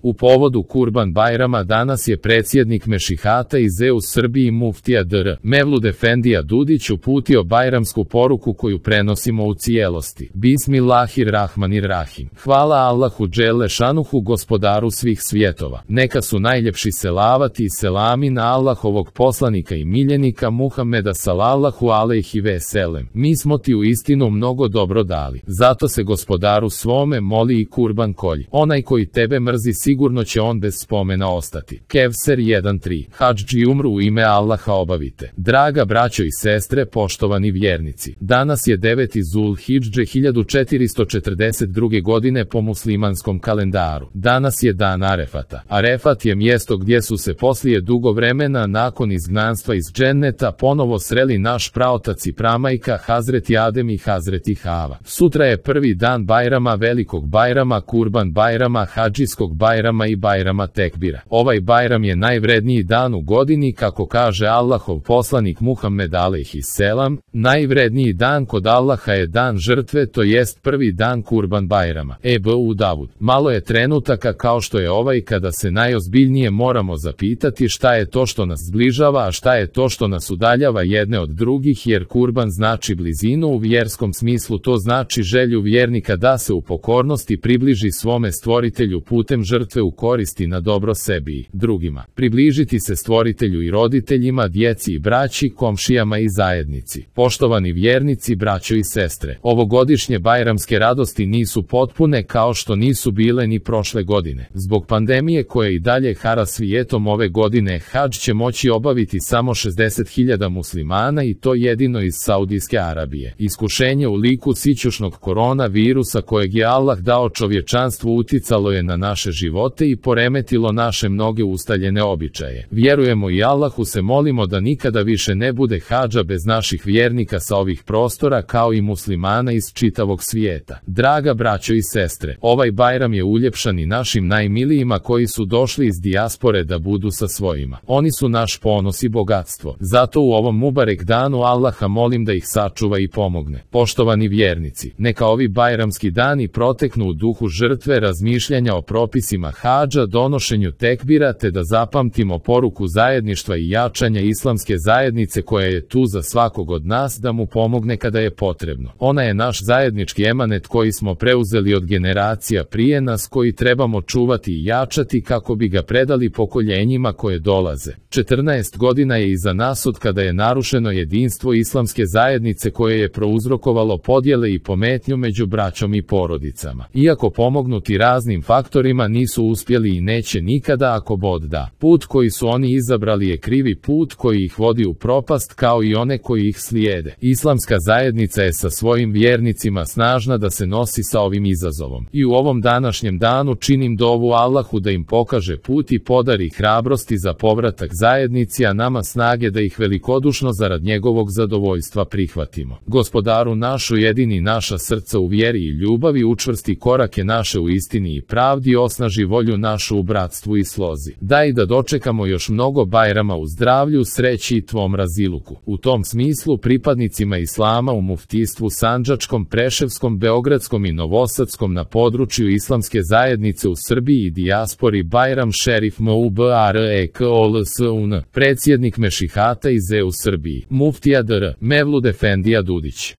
U povodu Kurban Bajrama danas je predsjednik Mešihata iz EU Srbiji muftija dr. Mevlud Efendija Dudić uputio bajramsku poruku koju prenosimo u cijelosti. Bismillahirrahmanirrahim. Hvala Allahu dželle šanuhu, gospodaru svih svjetova. Neka su najljepši selavati i selami na Allahovog poslanika i miljenika Muhameda sallallahu alejhi ve sellem. Mi smo ti u istinu mnogo dobro dali. Zato se gospodaru svome moli i kurban kolji. Onaj koji tebe mrzi sigurno će on bez spomena ostati. Kevser 1.3. Hadž i umru u ime Allaha obavite. Draga braćo i sestre, poštovani vjernici, danas je 9. Zulhidže 1442. godine po muslimanskom kalendaru. Danas je dan Arefata. Arefat je mjesto gdje su se poslije dugo vremena nakon izgnanstva iz dženneta ponovo sreli naš praotac i pramajka Hazreti Adem i Hazreti Hava. Sutra je prvi dan Bajrama, velikog Bajrama, Kurban Bajrama, Hadžijskog Bajrama i Bajrama Tekbira. Ovaj Bajram je najvredniji dan u godini, kako kaže Allahov poslanik Muhammed alejhi selam. Najvredniji dan kod Allaha je dan žrtve, to jest prvi dan Kurban Bajrama. Ebu Davud. Malo je trenutaka kao što je ovaj kada se najozbiljnije moramo zapitati šta je to što nas zbližava, a šta je to što nas udaljava jedne od drugih, jer kurban znači blizinu u vjerskom smislu, to znači želju vjernika da se u pokornosti približi svome stvoritelju putem žrtve u koristi na dobro sebi i drugima. Približiti se stvoritelju i roditeljima, djeci i braći, komšijama i zajednici. Poštovani vjernici, braćo i sestre, ovogodišnje bajramske radosti nisu potpune kao što nisu bile ni prošle godine. Zbog pandemije koje i dalje hara svijetom, ove godine hadž će moći obaviti samo 60.000 muslimana i to jedino iz Saudijske Arabije. Iskušenje u liku sićušnog koronavirusa kojeg je Allah dao čovječanstvu uticalo je na naše živote i poremetilo naše mnoge ustaljene običaje. Vjerujemo i Allahu se molimo da nikada više ne bude hadža bez naših vjernika sa ovih prostora, kao i muslimana iz čitavog svijeta. Draga braćo i sestre, ovaj Bajram je uljepšan i našim najmilijima koji su došli iz dijaspore da budu sa svojima. Oni su naš ponos i bogatstvo. Zato u ovom mubarek danu Allaha molim da ih sačuva i pomogne. Poštovani vjernici, neka ovi bajramski dani proteknu u duhu žrtve, razmišljanja o propisima hadža, donošenju tekbira, te da zapamtimo poruku zajedništva i jačanja islamske zajednice koja je tu za svakog od nas da mu pomogne kada je potrebno. Ona je naš zajednički emanet koji smo preuzeli od generacija prije nas, koji trebamo čuvati i jačati kako bi ga predali pokoljenjima koje dolaze. 14 godina je iza nas od kada je narušeno jedinstvo islamske zajednice koje je prouzrokovalo podjele i pometnju među braćom i porodicama. Iako pomognuti raznim faktorima nisu uspjeli i neće nikada ako Bog da. Put koji su oni izabrali je krivi put koji ih vodi u propast, kao i one koji ih slijede. Islamska zajednica je sa svojim vjernicima snažna da se nosi sa ovim izazovom. I u ovom današnjem danu činim dovu Allahu da im pokaže put i podari hrabrosti za povratak zajednici, a nama snage da ih velikodušno zarad njegovog zadovoljstva prihvatimo. Gospodaru naš, ujedini naša srca u vjeri i ljubavi, učvrsti korake naše u istini i pravdi, osnaži volju našu u bratstvu i slozi. Daj da dočekamo još mnogo Bajrama u zdravlju, sreći i tvom raziluku. U tom smislu pripadnicima islama u muftijstvu Sandžačkom, Preševskom, Beogradskom i Novosadskom na području islamske zajednice u Srbiji i dijaspori Bajram Šerif Mubarekol-sun, predsjednik Mešihata iz EU Srbiji, muftija dr. Mevlud Efendija Dudić.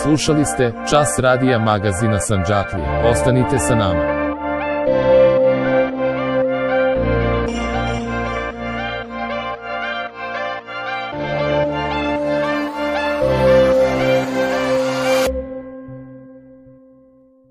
Slušali ste Čas radija magazina Sandžaklija. Ostanite sa nama.